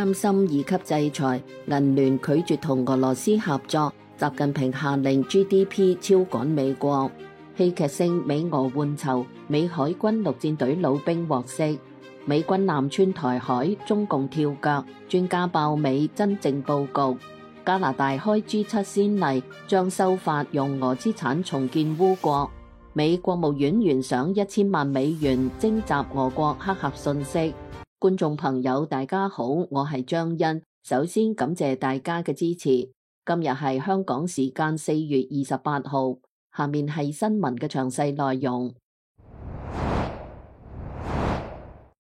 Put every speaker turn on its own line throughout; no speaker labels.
擔心二級制裁，銀聯拒絕同俄羅斯合作，習近平下令 GDP 超趕美國。戲劇性美俄換囚，美海軍陸戰隊老兵獲釋。美軍艦穿台海，中共跳腳，專家爆美真正佈局。加拿大開 G7 先例，將修法用俄資產重建烏國。美國務院懸賞1000萬美元徵集俄國黑客信息。觀眾朋友大家好，我係張欣，首先感謝大家嘅支持。今日係香港時間4月28號，下面係新聞嘅詳細內容。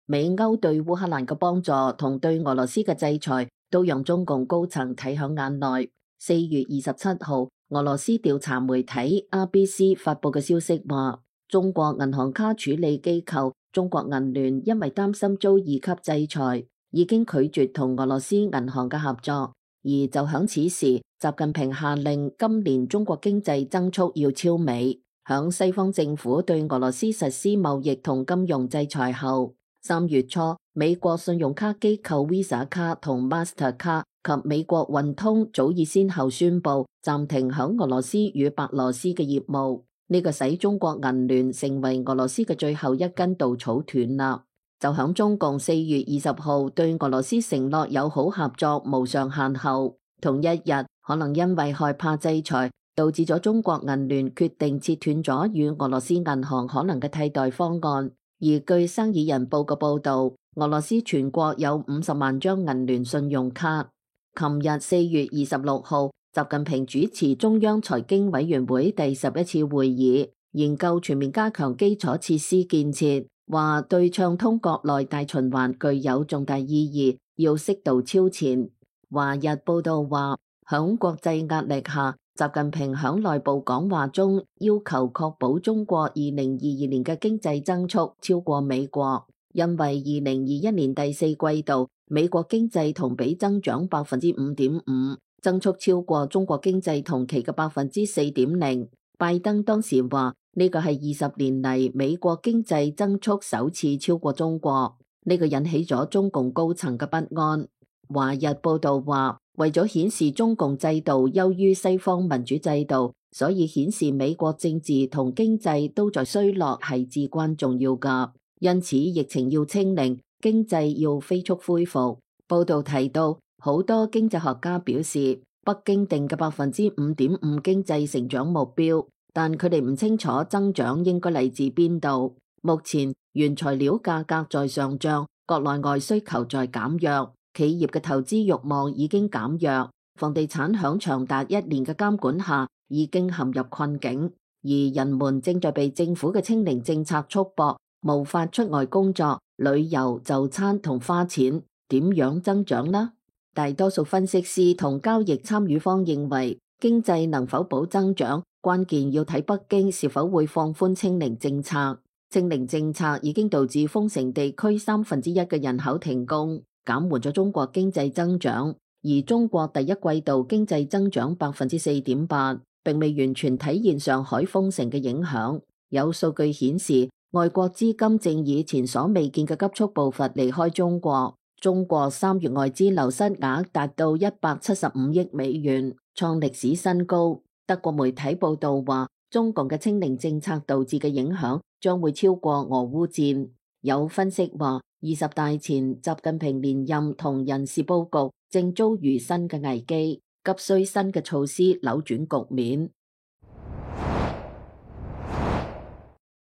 美歐對烏克蘭嘅幫助同對俄羅斯嘅制裁，都讓中共高層睇響眼內。4月27號，俄羅斯調查媒體 RBC 發佈嘅消息話，中國銀行卡處理機構中國銀聯因為擔心遭2級制裁，已經拒絕同俄羅斯銀行嘅合作。而就響此時，習近平下令今年中國經濟增速要超美。響西方政府對俄羅斯實施貿易同金融制裁後，3月初，美國信用卡機構 Visa 卡同 Master 卡及美國運通早已先後宣布暫停響俄羅斯與白羅斯嘅業務。呢個使中國銀聯成為俄羅斯嘅最後一根稻草斷啦。就響中共4月20號對俄羅斯承諾友好合作無上限後，同一日可能因為害怕制裁，導致咗中國銀聯決定切斷咗與俄羅斯銀行可能嘅替代方案。而據生意人報嘅報導，俄羅斯全國有50萬張銀聯信用卡。琴日4月26號，習近平主持中央財經委員會第11次會議，研究全面加強基礎設施建設，話對暢通國內大循環具有重大意義，要適度超前。華日報道話，響國際壓力下，習近平響內部講話中要求確保中國2022年嘅經濟增速超過美國，因為2021年第四季度美國經濟同比增長5.5%，增速超過中國經濟同期嘅4.0%。拜登當時話呢個係20年嚟美國經濟增速首次超過中國，呢個引起咗中共高層嘅不安。華日報道話，為咗顯示中共制度優於西方民主制度，所以顯示美國政治同經濟都在衰落係至關重要㗎。因此疫情要清零，經濟要飛速恢復。報道提到，好多經濟學家表示，北京定嘅5.5%經濟成長目標，但佢哋唔清楚增長應該嚟自邊度。目前原材料價格在上漲，國內外需求在減弱，企業嘅投資慾望已經減弱，房地產響長達1年嘅監管下已經陷入困境，而人們正在被政府嘅清零政策束縛，無法出外工作、旅遊、就餐同花錢，點樣增長呢？大多數分析師同交易參與方認為，經濟能否保增長，關鍵要睇北京是否會放寬清零政策。清零政策已經導致封城地區1/3嘅人口停工，減緩咗中國經濟增長。而中國第一季度經濟增長4.8%，並未完全體現上海封城嘅影響。有數據顯示，外國資金正以前所未見嘅急速步伐離開中國。中國3月外資流失額達到175億美元，創歷史新高。德國媒體報道話，中共嘅清零政策導致嘅影響將會超過俄烏戰。有分析話，20大前習近平連任同人事佈局正遭遇新嘅危機，急需新嘅措施扭轉局面。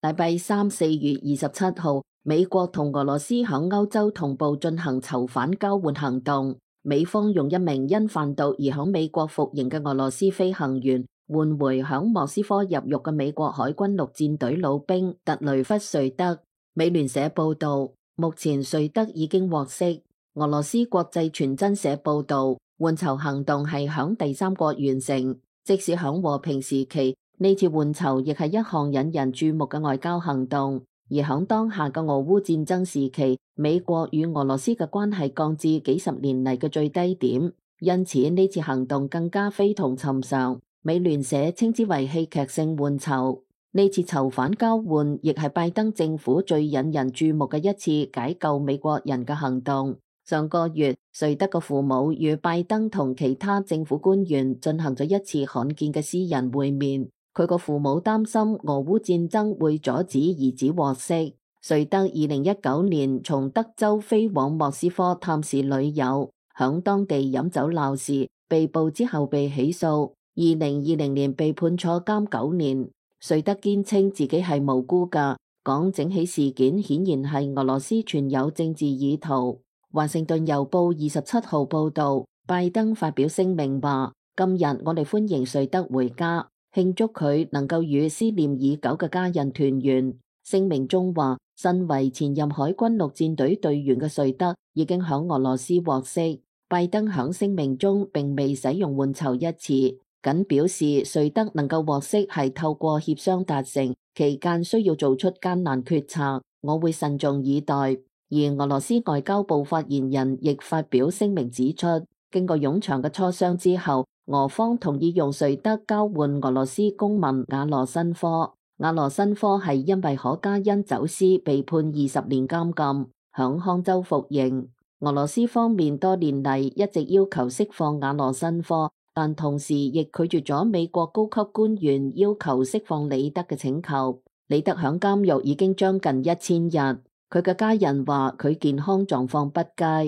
禮拜三4月27號，美國同俄羅斯響歐洲同步進行囚犯交換行動。美方用一名因販毒而響美國服刑嘅俄羅斯飛行員換回響莫斯科入獄嘅美國海軍陸戰隊老兵特雷弗瑞德。美聯社報道，目前瑞德已經獲釋。俄羅斯國際傳真社報道，換囚行動係響第三國完成，即使響和平時期，呢次換囚亦係一項引人注目嘅外交行動。而響當下嘅俄烏戰爭時期，美國與俄羅斯嘅關係降至幾十年嚟嘅最低點，因此呢次行動更加非同尋常。美聯社稱之為戲劇性換囚。呢次囚犯交換亦係拜登政府最引人注目嘅一次解救美國人嘅行動。上個月，瑞德嘅父母與拜登同其他政府官員進行咗一次罕見嘅私人會面。佢個父母擔心俄烏戰爭會阻止兒子獲釋。瑞德2019年從德州飛往莫斯科探視女友，響當地飲酒鬧事，被捕之後被起訴。2020年被判坐監9年。瑞德堅稱自己係無辜㗎，講整起事件顯然係俄羅斯存有政治意圖。華盛頓郵報27號報道，拜登發表聲明話：今日我哋歡迎瑞德回家，慶祝佢能夠與思念已久嘅家人團圓。聲明中話，身為前任海軍陸戰隊隊員嘅瑞德已經響俄羅斯獲釋。拜登響聲明中並未使用換囚一詞，僅表示瑞德能夠獲釋係透過協商達成，期間需要做出艱難決策，我會慎重以待。而俄羅斯外交部發言人亦發表聲明指出，經過冗長嘅磋商之後，俄方同意用瑞德交換俄羅斯公民瓦羅申科。瓦羅申科係因為可卡因走私被判20年監禁，響康州服刑。俄羅斯方面多年嚟一直要求釋放瓦羅申科，但同時亦拒絕咗美國高級官員要求釋放李德嘅請求。李德響監獄已經將近1000日。佢嘅家人話佢健康狀況不佳。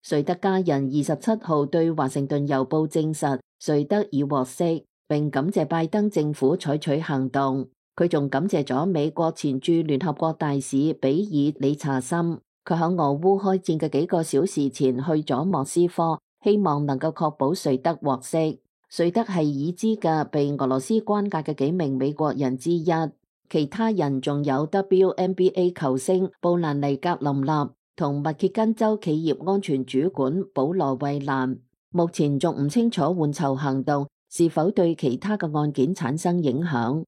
瑞德家人27號對華盛頓郵報證實，瑞德已獲釋，並感謝拜登政府採取行動。佢仲感謝咗美國前駐聯合國大使比爾理查森，佢喺俄烏開戰嘅幾個小時前去咗莫斯科，希望能夠確保瑞德獲釋。瑞德係已知嘅被俄羅斯關押嘅幾名美國人之一。其他人仲有 WNBA 球星布蘭尼格林納同密歇根州企業安全主管保羅衛蘭。目前仲唔清楚換囚行動是否對其他嘅案件產生影響。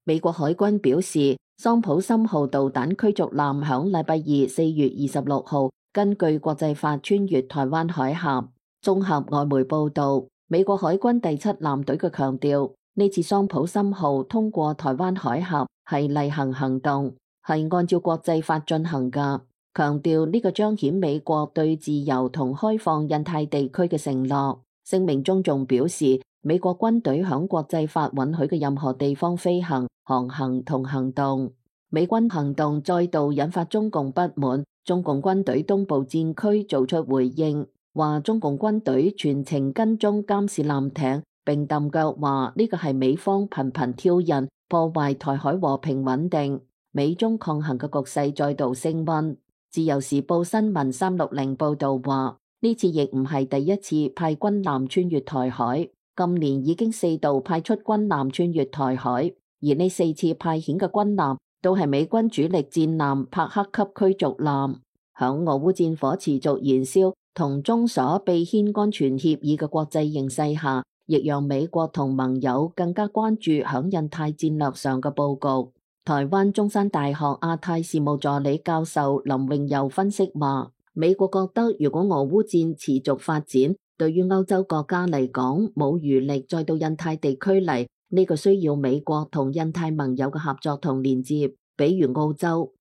美國海軍表示，桑普森號導彈驅逐艦響禮拜二4月26號根據國際法穿越台灣海峽。綜合外媒報道，美國海軍第7艦隊嘅強調，呢次桑普森號通過台灣海峽係例行行動，係按照國際法進行㗎。強調呢個彰顯美國對自由同開放印太地區嘅承諾。聲明中仲表示，美國軍隊響國際法允許嘅任何地方飛行、航行同行動。美軍行動再度引發中共不滿，中共軍隊東部戰區做出回應，話中共軍隊全程跟蹤監視艦艇。並揼腳話呢個係美方頻頻挑釁，破壞台海和平穩定，美中抗衡嘅局勢再度升溫。自由時報新聞360報道話，呢次亦唔係第一次派軍艦穿越台海，今年已經4度派出軍艦穿越台海，而呢4次派遣嘅軍艦都係美軍主力戰艦帕克級驅逐艦。響俄烏戰火持續燃燒同中所秘牽安全協議嘅國際形勢下，亦讓美國同盟友更加關注響印太戰略上嘅佈局。台灣中山大學亞太事務助理教授林榮佑分析話，美國覺得如果俄烏戰持續發展，對於歐洲國家嚟講冇餘力再到印太地區嚟，呢個需要美國同印太盟友嘅合作同連接。比如澳洲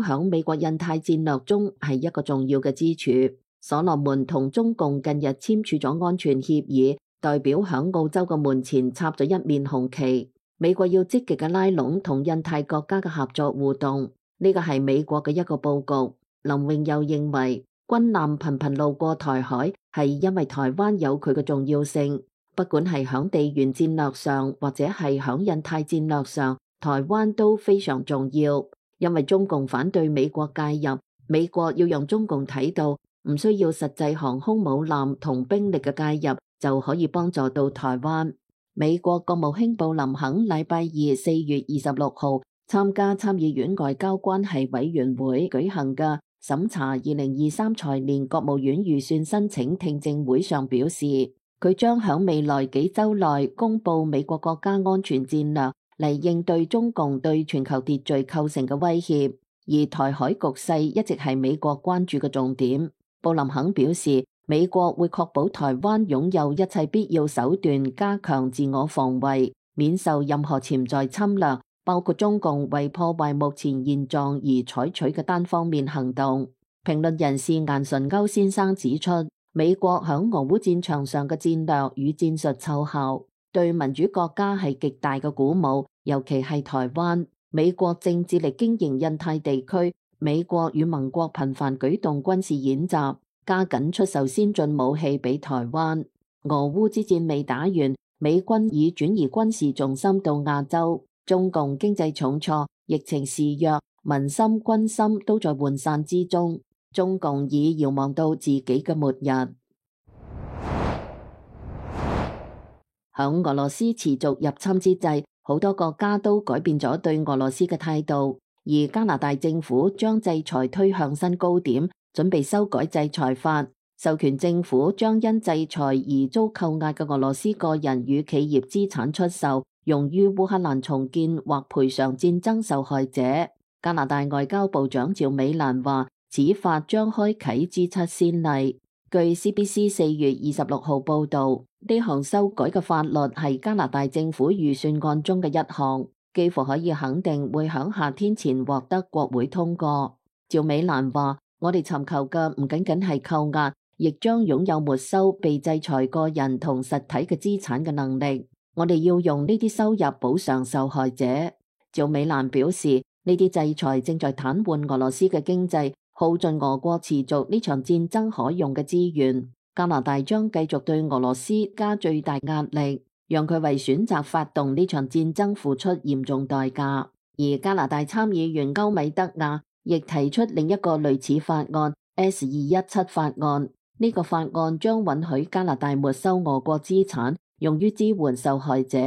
響美國印太戰略中係一個重要嘅支柱。所羅門同中共近日簽署咗安全協議，代表響澳洲嘅門前插咗一面紅旗。美國要積極嘅拉攏同印太國家嘅合作互動，呢個係美國嘅一個佈局。林榮又認為，軍艦頻頻路過台海係因為台灣有佢嘅重要性，不管係響地緣戰略上或者係響印太戰略上，台灣都非常重要。因為中共反對美國介入，美國要讓中共睇到唔需要實際航空母艦同兵力嘅介入就可以幫助到台灣。美國國務卿布林肯禮拜二4月26號參加參議院外交關係委員會舉行嘅審查2023財年國務院預算申請聽證會上表示，佢將響未來幾週內公布美國國家安全戰略嚟應對中共對全球秩序構成嘅威脅，而台海局勢一直係美國關注嘅重點。布林肯表示，美國會確保台灣擁有一切必要手段，加強自我防衛，免受任何潛在侵略，包括中共為破壞目前現狀而採取嘅單方面行動。評論人士顏純鈎先生指出，美國響俄烏戰場上嘅戰略與戰術奏效，對民主國家係極大嘅鼓舞，尤其係台灣。美國正致力經營印太地區，美國與盟國頻繁舉動軍事演習，加緊出售先進武器俾台灣。俄烏之戰未打完，美軍已轉移軍事重心到亞洲，中共經濟重挫，疫情肆虐，民心軍心都在渙散之中，中共已遙望到自己嘅末日。響俄羅斯持續入侵之際，好多國家都改變咗對俄羅斯嘅態度，而加拿大政府將制裁推向新高點，準備修改制裁法，授權政府將因制裁而遭扣押嘅俄羅斯個人與企業資產出售，用於烏克蘭重建或賠償戰爭受害者。加拿大外交部長趙美蘭話，此法將開啟 G7 先例。據 CBC 4月26號報導，呢項修改嘅法律係加拿大政府預算案中嘅一項，幾乎可以肯定會響夏天前獲得國會通過。趙美蘭話，我哋尋求嘅唔僅僅係扣押，亦將擁有沒收被制裁個人同實體嘅資產嘅能力。我哋要用呢啲收入補償受害者。趙美蘭表示，呢啲制裁正在癱瘓俄羅斯嘅經濟，耗盡俄國持續呢場戰爭可用嘅資源。加拿大將繼續對俄羅斯加最大壓力，讓佢為選擇發動呢場戰爭付出嚴重代價。而加拿大參議員歐米德亞亦提出另一個類似法案 S217 法案。呢個法案將允許加拿大沒收俄國資產，用於支援受害者。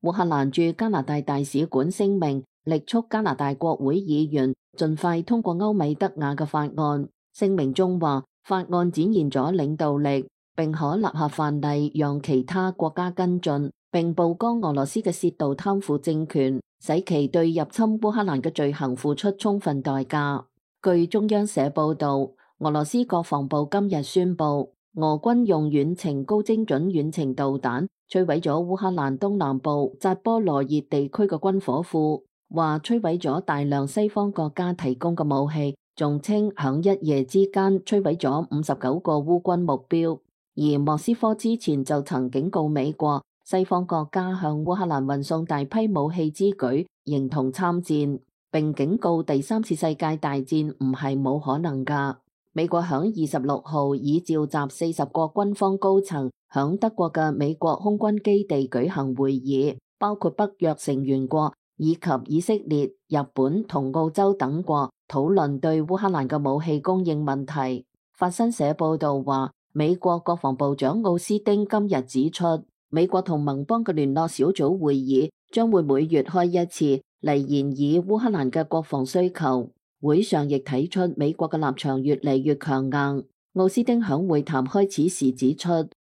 烏克蘭駐加拿大大使館聲明，力促加拿大國會議員盡快通過歐米德亞嘅法案。聲明中話，法案展現咗領導力，並可立下範例，讓其他國家跟進，並曝光俄羅斯嘅竊盜貪腐政權，使其對入侵烏克蘭嘅罪行付出充分代價。據中央社報導，俄羅斯國防部今日宣布，俄軍用遠程高精準遠程導彈摧毀咗烏克蘭東南部扎波羅熱地區嘅軍火庫，話摧毀咗大量西方國家提供嘅武器，仲稱響一夜之間摧毀咗59個烏軍目標。而莫斯科之前就曾警告美國，西方國家向烏克蘭運送大批武器之舉形同參戰，並警告第三次世界大戰唔係冇可能㗎。美國響26號已召集40個軍方高層響德國嘅美國空軍基地舉行會議，包括北約成員國以及以色列、日本同澳洲等國，討論對烏克蘭嘅武器供應問題。法新社報導話，美國國防部長奧斯汀今日指出，美國同盟邦嘅聯絡小組會議將會每月開一次，嚟研議烏克蘭嘅國防需求。會上亦睇出美國嘅立場越嚟越強硬。奧斯汀響會談開始時指出，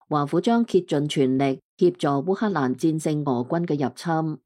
華府將竭盡全力協助烏克蘭戰勝俄軍嘅入侵。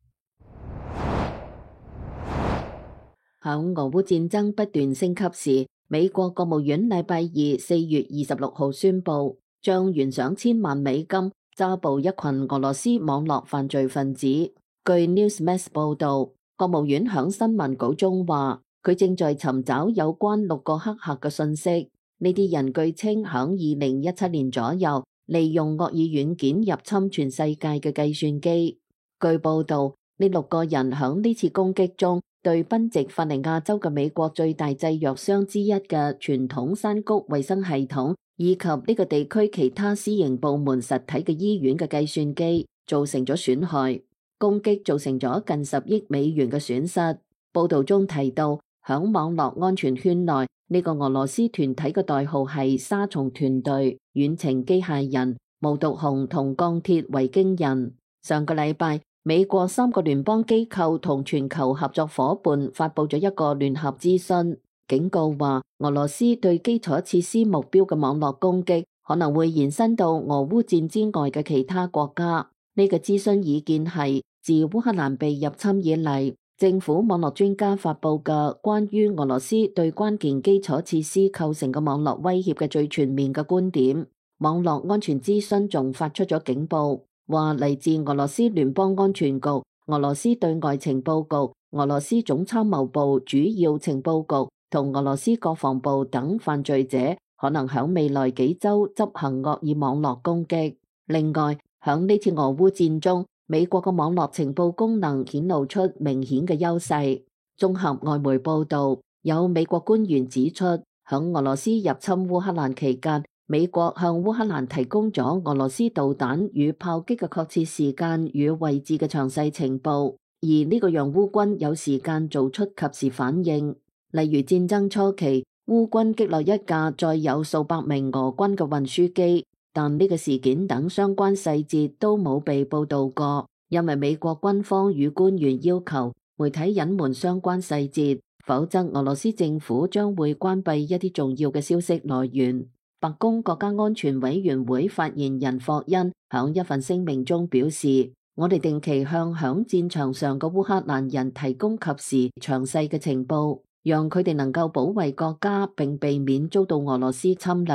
響俄烏戰爭不斷升級時，美國國務院禮拜二4月26號宣布，將懸賞1000萬美金抓捕一群俄羅斯網絡犯罪分子。據 Newsmax 報導，國務院響新聞稿中話，佢正在尋找有關6個黑客嘅信息。呢啲人據稱響2017年左右，利用惡意軟件入侵全世界嘅計算機。據報導，呢6個人響呢次攻擊中，對賓夕法尼亞州嘅美國最大製藥商之一嘅傳統山谷衛生系統，以及呢個地區其他私營部門實體嘅醫院嘅計算機造成咗損害。攻擊造成咗近10億美元嘅損失。報導中提到，響網絡安全圈內，呢個俄羅斯團體嘅代號係沙蟲團隊、遠程機械人、無毒熊同鋼鐵維京人。上個禮拜，美國3個聯邦機構同全球合作夥伴發佈咗一個聯合諮詢，警告話俄羅斯對基礎設施目標嘅網絡攻擊可能會延伸到俄烏戰之外嘅其他國家。呢個諮詢意見係自烏克蘭被入侵以嚟，政府網絡專家發佈嘅關於俄羅斯對關鍵基礎設施構成嘅網絡威脅嘅最全面嘅觀點。網絡安全諮詢仲發出咗警報，話嚟自俄羅斯聯邦安全局、俄羅斯對外情報局、俄羅斯總參謀部主要情報局同俄羅斯國防部等犯罪者可能響未來幾週執行惡意網絡攻擊。另外，響呢次俄烏戰中，美國嘅網絡情報功能顯露出明顯嘅優勢。綜合外媒報導，有美國官員指出，響俄羅斯入侵烏克蘭期間，美國向烏克蘭提供咗俄羅斯導彈與炮擊嘅確切時間與位置嘅詳細情報，而呢個讓烏軍有時間做出及時反應。例如戰爭初期，烏軍擊落一架載有數百名俄軍嘅運輸機，但呢個事件等相關細節都冇被報導過，因為美國軍方與官員要求媒體隱瞞相關細節，否則俄羅斯政府將會關閉一啲重要嘅消息來源。白宮國家安全委員會發言人霍恩響一份聲明中表示，我哋定期向響戰場上嘅烏克蘭人提供及時詳細嘅情報，讓佢哋能夠保衛國家並避免遭到俄羅斯侵略。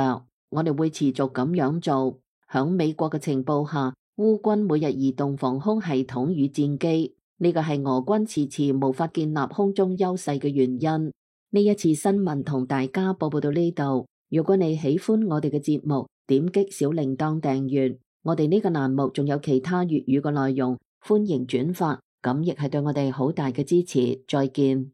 我哋會持續咁樣做。響美國嘅情報下，烏軍每日移動防空系統與戰機，呢個係俄軍遲遲無法建立空中優勢嘅原因。呢一次新聞同大家報到呢度。如果你喜歡我哋嘅節目，點擊小鈴鐺訂閱。我哋呢個欄目仲有其他粵語嘅內容，歡迎轉發，咁亦係對我哋好大嘅支持。再見。